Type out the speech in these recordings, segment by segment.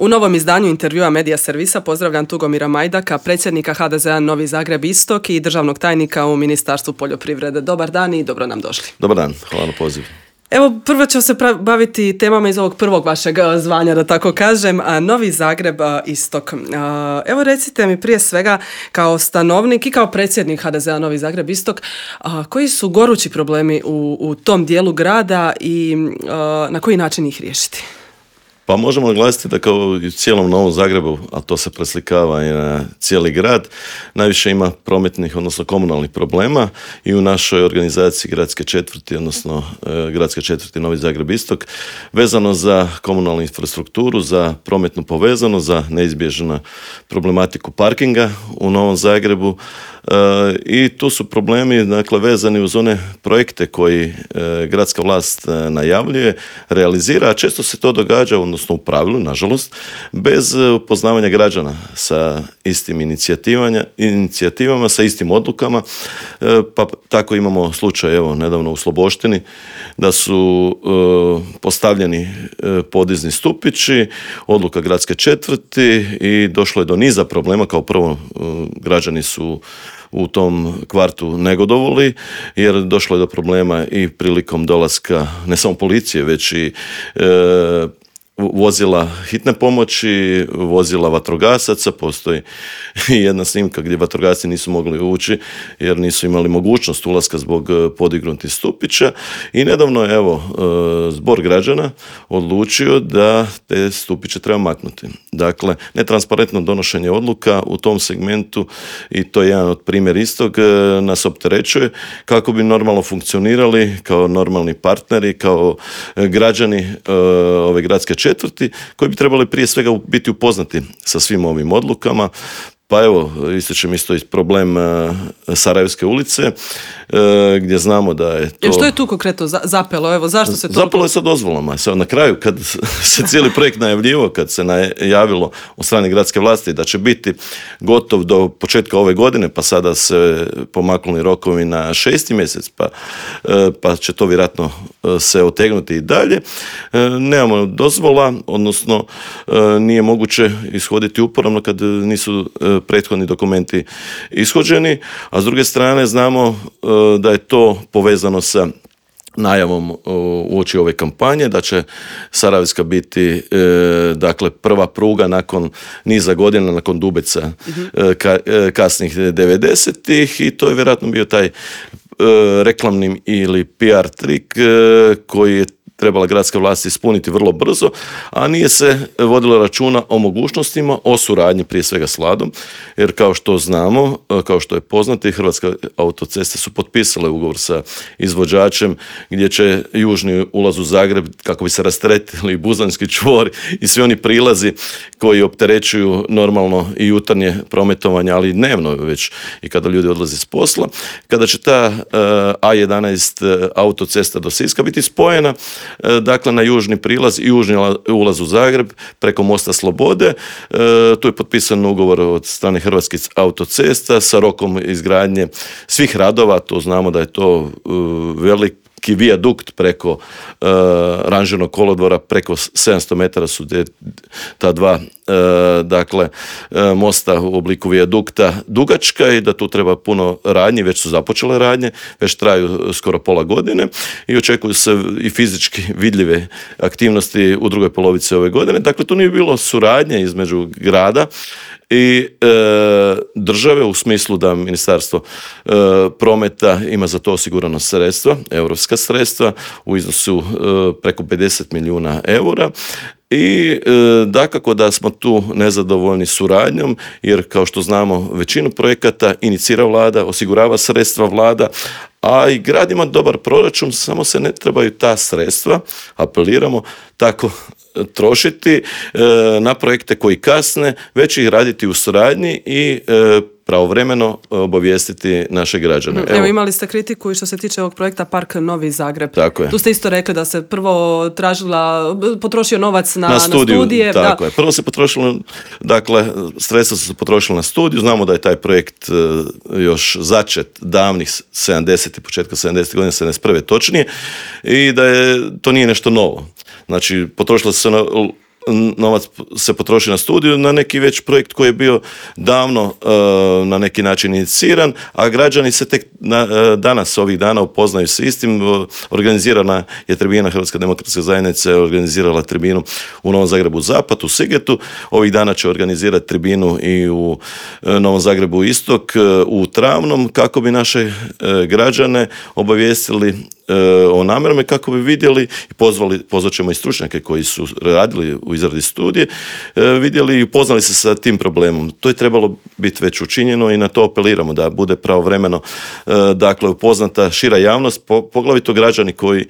U novom izdanju intervjua Medija servisa pozdravljam Tugomira Majdaka, predsjednika HDZ-a Novi Zagreb Istok i državnog tajnika u Ministarstvu poljoprivrede. Dobar dan i dobro nam došli. Dobar dan, hvala na pozivu. Evo, prvo ću se baviti temama iz ovog prvog vašeg zvanja, da tako kažem, Novi Zagreb Istok. Evo, recite mi prije svega kao stanovnik i kao predsjednik HDZ-a Novi Zagreb Istok, koji su gorući problemi u tom dijelu grada i na koji način ih riješiti? Pa možemo naglasiti da kao i u cijelom Novom Zagrebu, a to se preslikava i na cijeli grad, najviše ima prometnih, odnosno komunalnih problema i u našoj organizaciji gradske četvrti, odnosno gradske četvrti Novi Zagreb Istok, vezano za komunalnu infrastrukturu, za prometnu povezanost, za neizbježnu problematiku parkinga u Novom Zagrebu. I tu su problemi, dakle, vezani uz one projekte koji gradska vlast najavljuje, realizira, a često se to događa, odnosno u pravilu, nažalost, bez upoznavanja građana sa istim inicijativama, sa istim odlukama. Pa tako imamo slučaj, evo, nedavno u Sloboštini, da su postavljeni podizni stupići, odluka gradske četvrti i došlo je do niza problema. Kao prvo, građani su u tom kvartu negodovali, jer došlo je do problema i prilikom dolaska ne samo policije, već i vozila hitne pomoći, vozila vatrogasaca. Postoji jedna snimka gdje vatrogasci nisu mogli ući jer nisu imali mogućnost ulaska zbog podignutih stupića i nedavno je, evo, zbor građana odlučio da te stupiće treba maknuti. Dakle, netransparentno donošenje odluka u tom segmentu, i to je jedan od primjera istog, nas opterećuje kako bi normalno funkcionirali kao normalni partneri, kao građani ove gradske četvrti, koji bi trebali prije svega biti upoznati sa svim ovim odlukama. Pa evo, ističem isto problem Sarajevske ulice, gdje znamo da je to... Što je tu konkretno zapelo? Evo, zašto se to... Zapelo je sa dozvolama. Na kraju, kad se cijeli projekt najavljivo, kad se najavilo od strane gradske vlasti da će biti gotov do početka ove godine, pa sada se pomaknuli rokovi na 6. mjesec, pa će to vjerojatno se otegnuti i dalje. Nemamo dozvola, odnosno nije moguće ishoditi uporabno kad nisu prethodni dokumenti ishođeni, a s druge strane znamo da je to povezano sa najavom uoči ove kampanje, da će Sarajevska biti dakle prva pruga nakon niza godina, nakon Dubeca kasnih 90-ih, i to je vjerojatno bio taj reklamni ili PR trik koji je trebala gradska vlast ispuniti vrlo brzo, a nije se vodilo računa o mogućnostima, o suradnji prije svega s Vladom, jer kao što znamo, kao što je poznato, Hrvatske autoceste su potpisale ugovor sa izvođačem gdje će južni ulaz u Zagreb, kako bi se rasteretili Buzanski čvor i svi oni prilazi koji opterećuju normalno i jutarnje prometovanje, ali i dnevno već i kada ljudi odlaze s posla, kada će ta A11 autocesta do Siska biti spojena, dakle, na južni prilaz i južni ulaz u Zagreb preko mosta Slobode. Tu je potpisan ugovor od strane Hrvatskih autocesta sa rokom izgradnje svih radova. To znamo da je to veliki vijadukt preko ranžirnog kolodvora, preko 700 metara su ta dva dakle mosta u obliku vijadukta dugačka, i da tu treba puno radnji, već su započele radnje, već traju skoro pola godine i očekuju se i fizički vidljive aktivnosti u drugoj polovici ove godine. Dakle, tu nije bilo suradnje između grada i države, u smislu da Ministarstvo prometa ima za to osigurano sredstva, europska sredstva u iznosu preko 50 milijuna eura. I dakako da smo tu nezadovoljni suradnjom, jer kao što znamo većinu projekata inicira Vlada, osigurava sredstva Vlada, a i grad ima dobar proračun, samo se ne trebaju ta sredstva, apeliramo, tako trošiti na projekte koji kasne, već ih raditi u suradnji i pravovremeno obavijestiti naše građane. Evo, imali ste kritiku i što se tiče ovog projekta Park Novi Zagreb. Tako je. Tu ste isto rekli da se prvo potrošio novac na studije. Tako je. Prvo se potrošilo, dakle, sredstva su se potrošila na studiju. Znamo da je taj projekt još začet davnih 70. početka 70. godina, 71. točnije, i da to nije nešto novo. Znači, potrošilo se novac se potroši na studiju, na neki već projekt koji je bio davno na neki način iniciran, a građani se tek danas, ovih dana upoznaju se istim. Organizirana je tribina Hrvatska demokratska zajednica, organizirala tribinu u Novom Zagrebu Zapad, u Sigetu. Ovih dana će organizirati tribinu i u Novom Zagrebu Istok, u Travnom, kako bi naše građane obavijestili o namjerama, kako bi vidjeli i pozvat ćemo i stručnjake koji su radili u izradi studije, vidjeli i upoznali se sa tim problemom. To je trebalo biti već učinjeno i na to apeliramo da bude pravovremeno dakle upoznata šira javnost, poglavito građani koji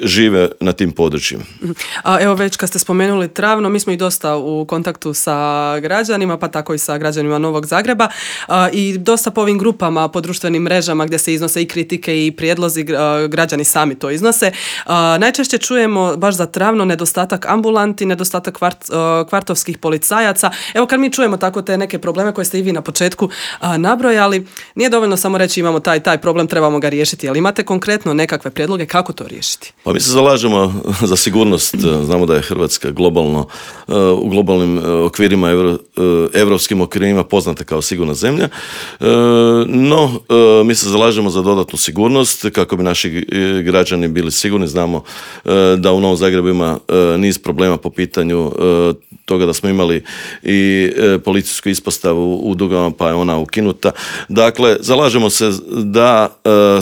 žive na tim područjima. A evo već kad ste spomenuli Travno, mi smo i dosta u kontaktu sa građanima, pa tako i sa građanima Novog Zagreba i dosta po ovim grupama, po društvenim mrežama gdje se iznose i kritike i prijedlozi, građani sami to iznose. Najčešće čujemo baš za Travno nedostatak ambulanti, nedostatak kvartovskih policajaca. Evo kad mi čujemo tako te neke probleme koje ste i vi na početku nabrojali, nije dovoljno samo reći imamo taj problem, trebamo ga riješiti, ali imate konkretno nekakve prijedloge kako to riješiti? Pa mi se zalažemo za sigurnost. Znamo da je Hrvatska globalno, u globalnim okvirima, evropskim okvirima poznata kao sigurna zemlja, no mi se zalažemo za dodatnu sigurnost kako bi naši građani bili sigurni. Znamo da u Novom Zagrebu ima niz problema po pitanju toga da smo imali i policijsku ispostavu u Dugama, pa je ona ukinuta. Dakle, zalažemo se da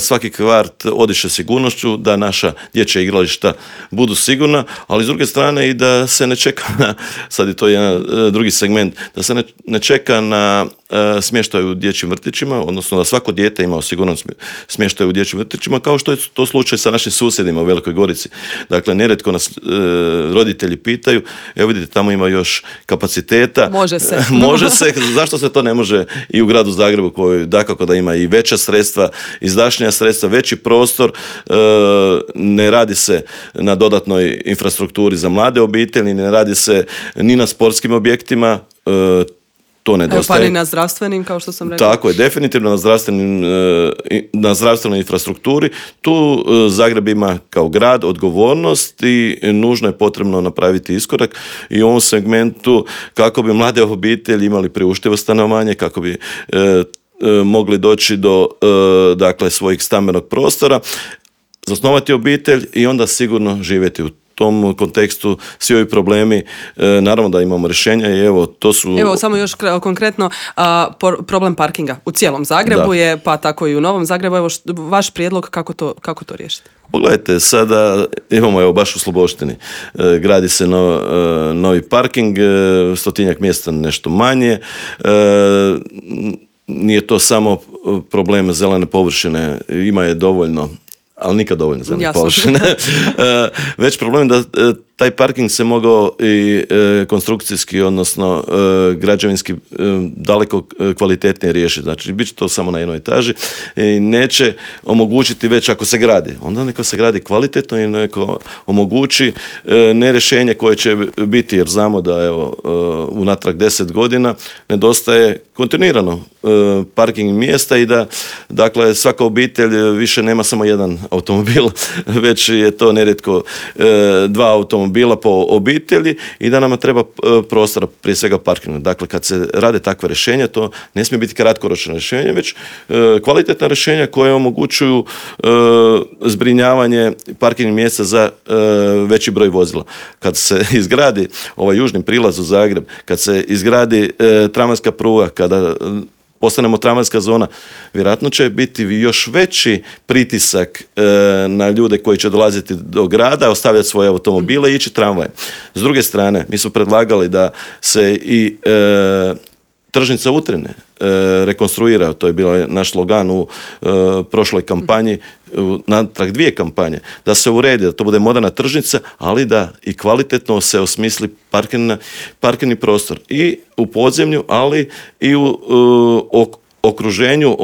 svaki kvart odiše sigurnošću, da naša dječja igrališta budu sigurna, ali s druge strane i da se ne čeka na, sad je to jedan drugi segment, da se ne čeka na smještaj u dječjim vrtićima, odnosno da svako dijete ima siguran smještaj u dječjim vrtićima, kao što je to slučaj sa našim susjedima u Velikoj Gorici. Dakle, nerijetko nas roditelji pitaju, evo vidite, tamo ima još kapaciteta. Može se, zašto se to ne može i u gradu Zagrebu, koji dakako da ima i veća sredstva, izdašnija sredstva, veći prostor, ne radi se na dodatnoj infrastrukturi za mlade obitelji, ne radi se ni na sportskim objektima, to nedostaje. Pa ni na zdravstvenim, kao što sam rekao. Tako je, definitivno na zdravstvenoj infrastrukturi. Tu Zagreb ima kao grad odgovornost i nužno je potrebno napraviti iskorak i u ovom segmentu kako bi mlade obitelji imali priuštivo stanovanje, kako bi mogli doći do dakle svojih stambenog prostora, zasnovati obitelj i onda sigurno živjeti u tom kontekstu. Svi ovi problemi, naravno da imamo rješenja i evo, to su... Evo, samo još konkretno, problem parkinga u cijelom Zagrebu je, pa tako i u Novom Zagrebu. Evo, vaš prijedlog kako to riješiti? Pogledajte, sada imamo evo baš u Sloboštini, gradi se novi parking, 100-tinjak mjesta nešto manje, nije to samo problem zelene površine, ima je dovoljno, ali nikad dovoljno zelene površine. Već problem da taj parking se mogao i konstrukcijski, odnosno građevinski daleko kvalitetnije riješiti. Znači, bit će to samo na jednoj etaži i neće omogućiti već ako se gradi. Onda neka se gradi kvalitetno i neko omogući ne rješenje koje će biti, jer znamo da evo unatrag 10 godina nedostaje kontinuirano parking mjesta i da dakle svaka obitelj više nema samo jedan automobil, već je to nerijetko 2 automobila po obitelji i da nama treba prostora, prije svega parkinga. Dakle, kad se rade takve rješenja, to ne smije biti kratkoročno rješenje, već kvalitetna rješenja koje omogućuju zbrinjavanje parkingnih mjesta za veći broj vozila. Kad se izgradi ovaj južni prilaz u Zagreb, kad se izgradi tramvajska pruga, kada postanemo tramvajska zona, vjerojatno će biti još veći pritisak na ljude koji će dolaziti do grada, ostavljati svoje automobile i ići tramvajem. S druge strane, mi smo predlagali da se i tržnica Utrine rekonstruira, to je bio naš slogan u prošloj kampanji, natrag 2 kampanje, da se uredi, da to bude moderna tržnica, ali da i kvalitetno se osmisli parkirni prostor i u podzemlju, ali i u okruženju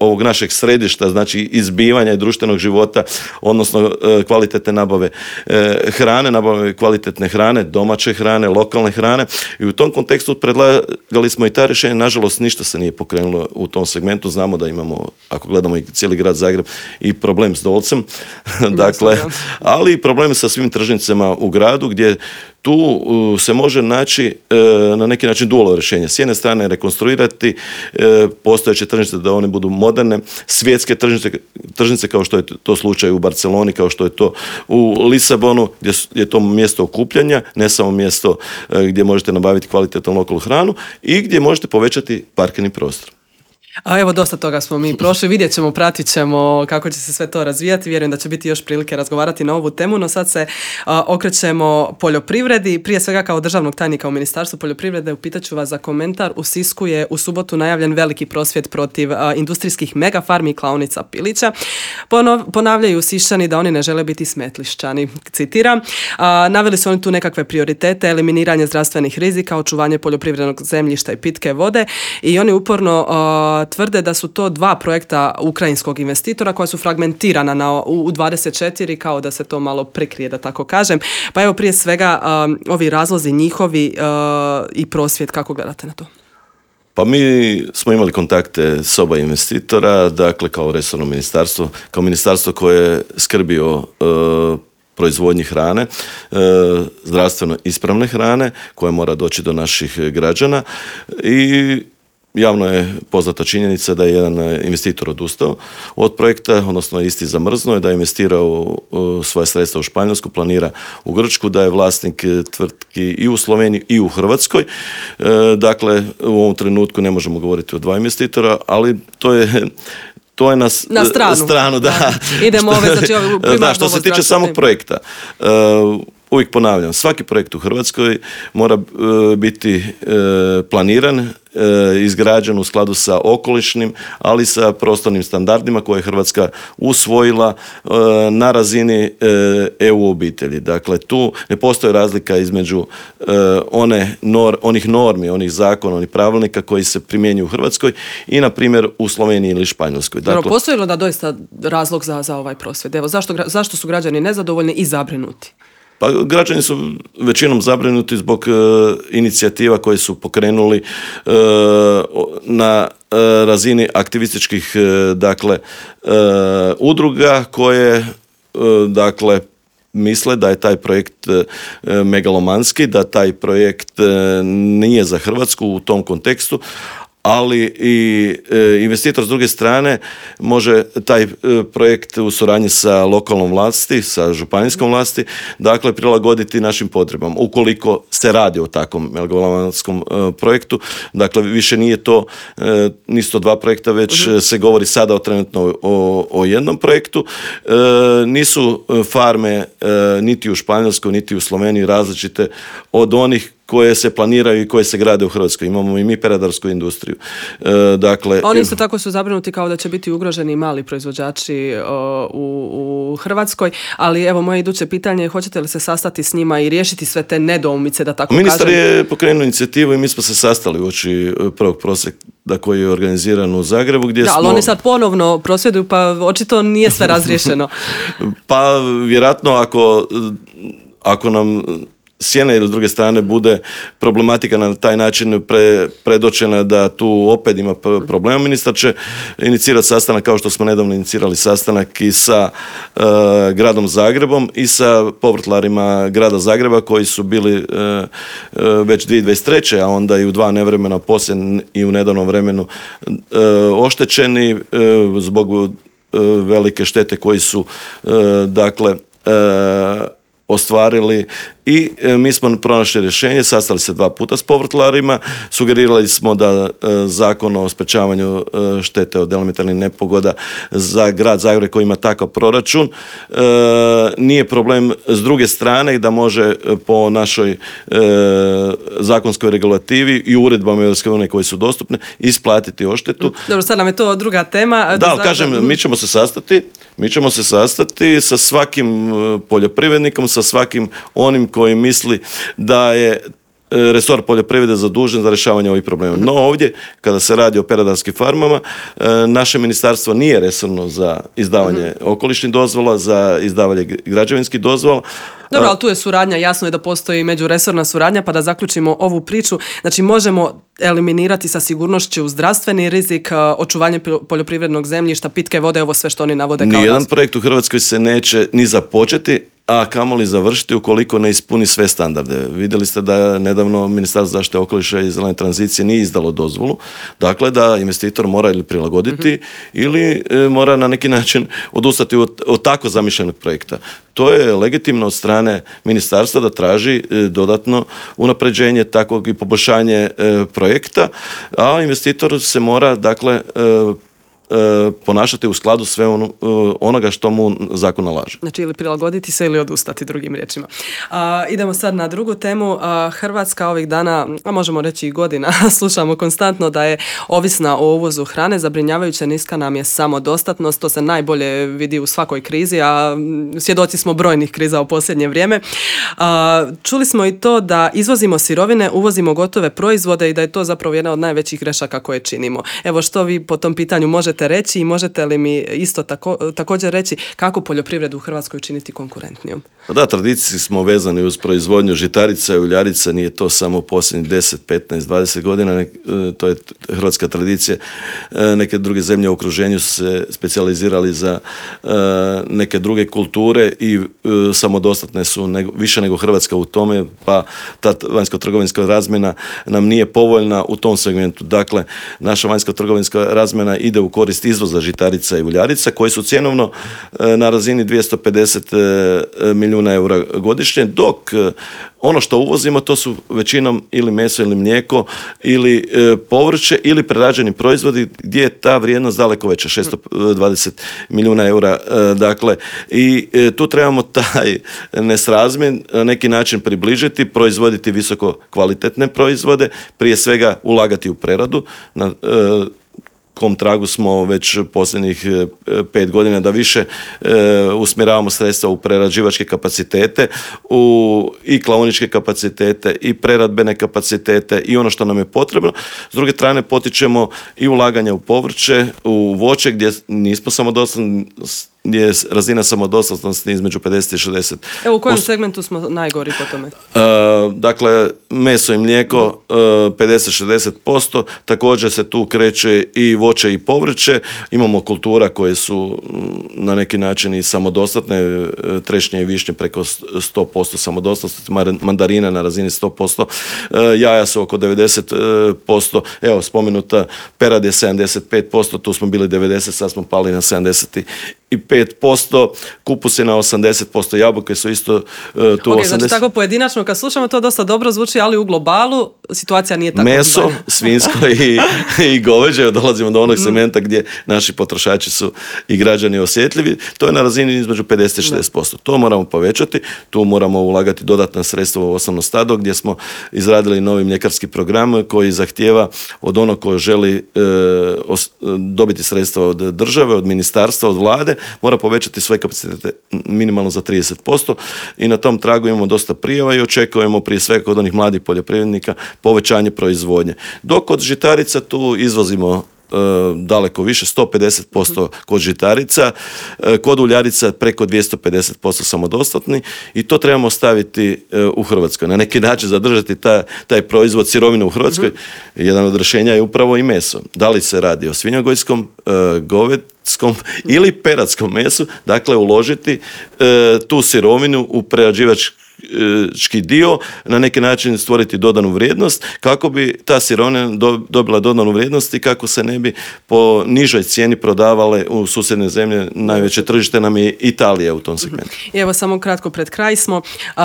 ovog našeg središta, znači izbivanja i društvenog života, odnosno kvalitetne nabave hrane, nabave kvalitetne hrane, domaće hrane, lokalne hrane i u tom kontekstu predlagali smo i ta rješenja. Nažalost, ništa se nije pokrenulo u tom segmentu. Znamo da imamo, ako gledamo i cijeli grad Zagreb, i problem s Dolcem, dakle, ali i problem sa svim tržnicama u gradu gdje tu se može naći na neki način dualno rješenje. S jedne strane rekonstruirati postojeće tržnice da one budu moderne, svjetske tržnice kao što je to slučaj u Barceloni, kao što je to u Lisabonu, gdje je to mjesto okupljanja, ne samo mjesto gdje možete nabaviti kvalitetnu lokalnu hranu i gdje možete povećati parkirni prostor. A evo, dosta toga smo mi prošli, vidjet ćemo, pratit ćemo kako će se sve to razvijati, vjerujem da će biti još prilike razgovarati na ovu temu, no sad se okrećemo poljoprivredi, prije svega kao državnog tajnika u Ministarstvu poljoprivrede, upitat ću vas za komentar. U Sisku je u subotu najavljen veliki prosvjed protiv industrijskih megafarmi i klaonica pilića. Ponavljaju Siščani da oni ne žele biti smetlišćani, citiram. Naveli su oni tu nekakve prioritete, eliminiranje zdravstvenih rizika, očuvanje poljoprivrednog zemljišta i pitke vode i oni uporno tvrde da su to 2 projekta ukrajinskog investitora koja su fragmentirana u 24, kao da se to malo prekrije, da tako kažem. Pa evo, prije svega ovi razlozi njihovi i prosvjed, kako gledate na to? Pa mi smo imali kontakte s oba investitora, dakle kao resorno ministarstvo, kao ministarstvo koje skrbi o proizvodnji hrane, zdravstveno ispravne hrane koja mora doći do naših građana i javno je poznata činjenica da je jedan investitor odustao od projekta, odnosno isti zamrznuo je, da je investirao svoje sredstva u Španjolsku, planira u Grčku, da je vlasnik tvrtki i u Sloveniji i u Hrvatskoj. Dakle, u ovom trenutku ne možemo govoriti o 2 investitora, ali to je na stranu, da. Idemo primarno što se tiče samog projekta. Uvijek ponavljam, svaki projekt u Hrvatskoj mora biti planiran, izgrađen u skladu sa okolišnim, ali sa prostornim standardima koje je Hrvatska usvojila na razini EU obitelji. Dakle, tu ne postoji razlika između onih normi, onih zakona, onih pravilnika koji se primjenjuju u Hrvatskoj i, na primjer, u Sloveniji ili Španjolskoj. Dakle, postoji li da doista razlog za ovaj prosvjed? Evo, zašto su građani nezadovoljni i zabrinuti? Pa građani su većinom zabrinuti zbog inicijativa koje su pokrenuli na razini aktivističkih udruga koje misle da je taj projekt megalomanski, da taj projekt nije za Hrvatsku u tom kontekstu, ali i investitor s druge strane može taj projekt u suradnji sa lokalnom vlasti, sa županijskom vlasti, dakle prilagoditi našim potrebama. Ukoliko se radi o takvom megalomanskom projektu, dakle više nisu to 2 projekta, već se govori sada trenutno o jednom projektu. Nisu farme niti u Španjolskoj, niti u Sloveniji različite od onih koje se planiraju i koje se grade u Hrvatskoj. Imamo i mi peradarsku industriju. Oni isto tako su zabrinuti kao da će biti ugroženi mali proizvođači u Hrvatskoj, ali evo moje iduće pitanje je, hoćete li se sastati s njima i riješiti sve te nedoumice, da tako Ministar je pokrenuo inicijativu i mi smo se sastali uoči prvog prosvjeda koji je organiziran u Zagrebu. Ali oni sad ponovno prosvjeduju, pa očito nije sve razriješeno. Pa vjerojatno ako nam s jedne ili s druge strane bude problematika na taj način predočena da tu opet ima problema, ministar će inicirati sastanak kao što smo nedavno inicirali sastanak i sa gradom Zagrebom i sa povrtlarima grada Zagreba koji su bili već 2023. a onda i u 2 nevremena poslije i u nedavnom vremenu oštećeni zbog velike štete koji su ostvarili i mi smo pronašli rješenje, sastali se 2 puta s povrtlarima, sugerirali smo da zakon o sprečavanju štete od elementarnih nepogoda za grad Zagreb koji ima takav proračun nije problem s druge strane i da može po našoj zakonskoj regulativi i uredbama EU koje su dostupne isplatiti odštetu. Dobro, sad nam je to druga tema. Kažem, mi ćemo se sastati sa svakim poljoprivrednikom, sa svakim onim koji misli da je resor poljoprivrede zadužen za rješavanje ovih problema. No ovdje, kada se radi o peradarskim farmama, naše ministarstvo nije resorno za izdavanje okolišnih dozvola, za izdavanje građevinskih dozvola. Dobro, ali tu je suradnja, jasno je da postoji međuresorna suradnja, pa da zaključimo ovu priču. Znači, možemo eliminirati sa sigurnošću zdravstveni rizik, očuvanje poljoprivrednog zemljišta, pitke vode, ovo sve što oni navode kao nijedan projekt u Hrvatskoj se neće ni započeti a kamoli završiti ukoliko ne ispuni sve standarde. Vidjeli ste da nedavno Ministarstvo zaštite okoliša i zelene tranzicije nije izdalo dozvolu, dakle da investitor mora ili prilagoditi ili mora na neki način odustati od tako zamišljenog projekta. To je legitimno od strane ministarstva da traži dodatno unapređenje takvog i poboljšanje projekta, a investitor se mora dakle ponašati u skladu sve onoga što mu zakon nalaže. Znači ili prilagoditi se ili odustati, drugim riječima. Idemo sad na drugu temu. Hrvatska ovih dana, a možemo reći i godina, slušamo konstantno da je ovisna o uvozu hrane, zabrinjavajuće niska nam je samodostatnost, to se najbolje vidi u svakoj krizi, a svjedoci smo brojnih kriza u posljednje vrijeme. Čuli smo i to da izvozimo sirovine, uvozimo gotove proizvode i da je to zapravo jedna od najvećih grešaka koje činimo. Evo što vi po tom pitanju možete reći i možete li mi isto također reći kako poljoprivredu u Hrvatskoj učiniti konkurentnijom? Da, tradiciji smo vezani uz proizvodnju žitarica i uljarica, nije to samo posljednjih 10, 15, 20 godina, to je hrvatska tradicija. Neke druge zemlje u okruženju su se specijalizirali za neke druge kulture i samodostatne su više nego Hrvatska u tome, pa ta vanjsko-trgovinska razmjena nam nije povoljna u tom segmentu. Dakle, naša vanjsko-trgovinska razmjena ide u korist izvoza žitarica i uljarica koji su cjenovno na razini 250 milijuna eura godišnje, dok ono što uvozimo to su većinom ili meso ili mlijeko ili povrće ili prerađeni proizvodi gdje je ta vrijednost daleko veća, 620 milijuna eura. Dakle, i tu trebamo taj nesrazmjer na neki način približiti, proizvoditi visoko kvalitetne proizvode, prije svega ulagati u preradu. Na kom tragu smo već posljednjih 5 godina da više usmjeravamo sredstva u prerađivačke kapacitete, u i klaoničke kapacitete i preradbene kapacitete i ono što nam je potrebno. S druge strane potičemo i ulaganja u povrće, u voće gdje nismo samodostatni, gdje je razina samodostatnosti između 50 i 60%. Evo u kojem segmentu smo najgori po tome? Dakle, meso i mlijeko 50-60%, također se tu kreće i voće i povrće. Imamo kultura koje su na neki način i samodostatne, trešnje i višnje preko 100% samodostatnosti, mandarina na razini 100%, jaja su oko 90%, evo spomenuta perad je 75%, tu smo bili 90%, sad smo pali na 75%, kupus je na 80%, jabuke su isto tu 80%. Znači tako pojedinačno kad slušamo to dosta dobro zvuči, ali u globalu situacija nije tako. Meso, svinjsko i goveđe, dolazimo do onog segmenta gdje naši potrošači su i građani osjetljivi, to je na razini između 50 i 60%. To moramo povećati, tu moramo ulagati dodatna sredstva u osnovno stado gdje smo izradili novi mljekarski program koji zahtijeva od onog ko želi dobiti sredstva od države, od ministarstva, od vlade, mora povećati svoje kapacitete minimalno za 30% i na tom tragu imamo dosta prijava i očekujemo prije svega kod onih mladih poljoprivrednika povećanje proizvodnje. Dok kod žitarica tu izvozimo daleko više, 150% kod žitarica, kod uljarica preko 250% samodostatni i to trebamo staviti u Hrvatskoj. Na neki način zadržati taj proizvod sirovine u Hrvatskoj. Jedan od rješenja je upravo i meso. Da li se radi o svinjogojskom, govedskom ili peradskom mesu, dakle uložiti tu sirovinu u prerađivački dio, na neki način stvoriti dodanu vrijednost kako bi ta sirovina dobila dodanu vrijednost i kako se ne bi po nižoj cijeni prodavale u susjedne zemlje. Najveće tržište nam je Italija u tom segmentu. I evo samo kratko pred kraj smo,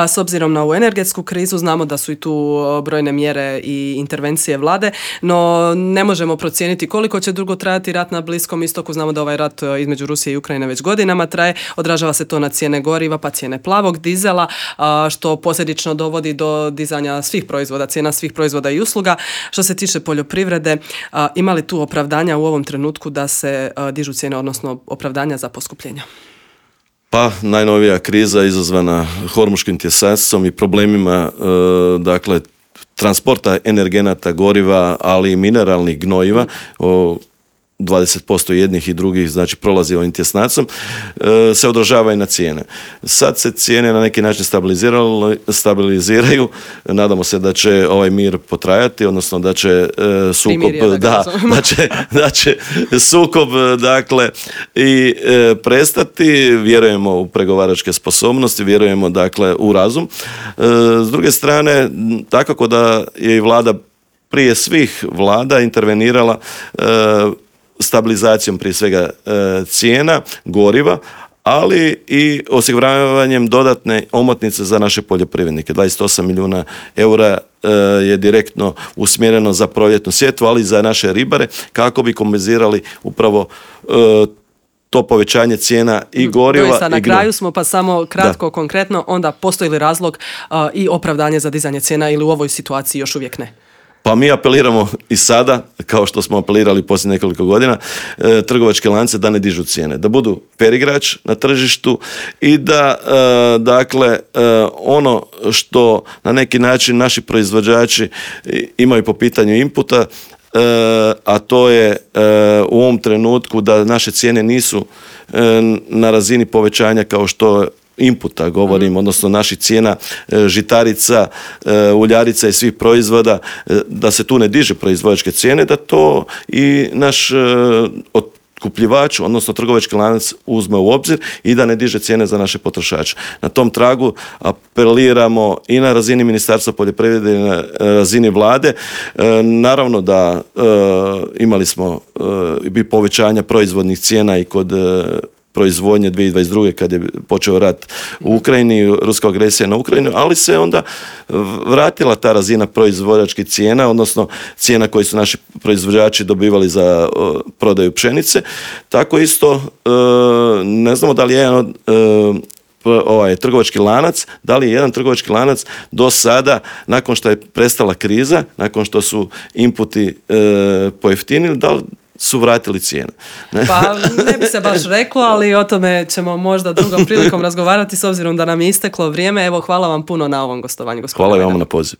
s obzirom na ovu energetsku krizu, znamo da su i tu brojne mjere i intervencije vlade, no ne možemo procijeniti koliko će dugo trajati rat na Bliskom istoku. Znamo da ovaj rat između Rusije i Ukrajine već godinama traje, odražava se to na cijene goriva, pa cijene plavog dizela, što posljedično dovodi do dizanja svih proizvoda, cijena svih proizvoda i usluga. Što se tiče poljoprivrede, ima li tu opravdanja u ovom trenutku da se dižu cijene, odnosno opravdanja za poskupljenja? Pa, najnovija kriza izazvana hormuškim tjesacom i problemima, dakle, transporta energenata, goriva, ali i mineralnih gnojiva, 20% jednih i drugih, znači prolazi ovim tjesnacom, se odražava i na cijene. Sad se cijene na neki način stabiliziraju, nadamo se da će ovaj mir potrajati, odnosno da će sukob, da će sukob, dakle, i prestati, vjerujemo u pregovaračke sposobnosti, vjerujemo, dakle, u razum. S druge strane, takako da je i vlada prije svih vlada intervenirala stabilizacijom prije svega cijena goriva, ali i osiguravanjem dodatne omotnice za naše poljoprivrednike. 28 milijuna eura je direktno usmjereno za proljetnu sjetvu, ali i za naše ribare, kako bi kompenzirali upravo to povećanje cijena i goriva. Doista, na kraju smo, pa samo kratko, konkretno, onda postoji li razlog i opravdanje za dizanje cijena ili u ovoj situaciji još uvijek ne? Pa mi apeliramo i sada, kao što smo apelirali poslije nekoliko godina, trgovačke lance da ne dižu cijene, da budu fer igrač na tržištu i da, dakle, ono što na neki način naši proizvođači imaju po pitanju inputa, a to je u ovom trenutku da naše cijene nisu na razini povećanja kao što inputa govorim, odnosno naših cijena žitarica, uljarica i svih proizvoda, da se tu ne diže proizvođačke cijene, da to i naš otkupljivač, odnosno trgovački lanac uzme u obzir i da ne diže cijene za naše potrošače. Na tom tragu apeliramo i na razini Ministarstva poljoprivrede i na razini vlade. Naravno da imali smo i povećanja proizvodnih cijena i kod proizvodnje 2022. kad je počeo rat u Ukrajini, ruska agresija na Ukrajinu, ali se onda vratila ta razina proizvođačkih cijena, odnosno cijena koje su naši proizvođači dobivali za prodaju pšenice. Tako isto, ne znamo da li je jedan trgovački lanac, da li je jedan trgovački lanac do sada, nakon što je prestala kriza, nakon što su inputi pojeftinili, da li su vratili cijene. Pa ne bi se baš reklo, ali o tome ćemo možda drugom prilikom razgovarati s obzirom da nam je isteklo vrijeme. Evo, hvala vam puno na ovom gostovanju. Hvala vam na poziv.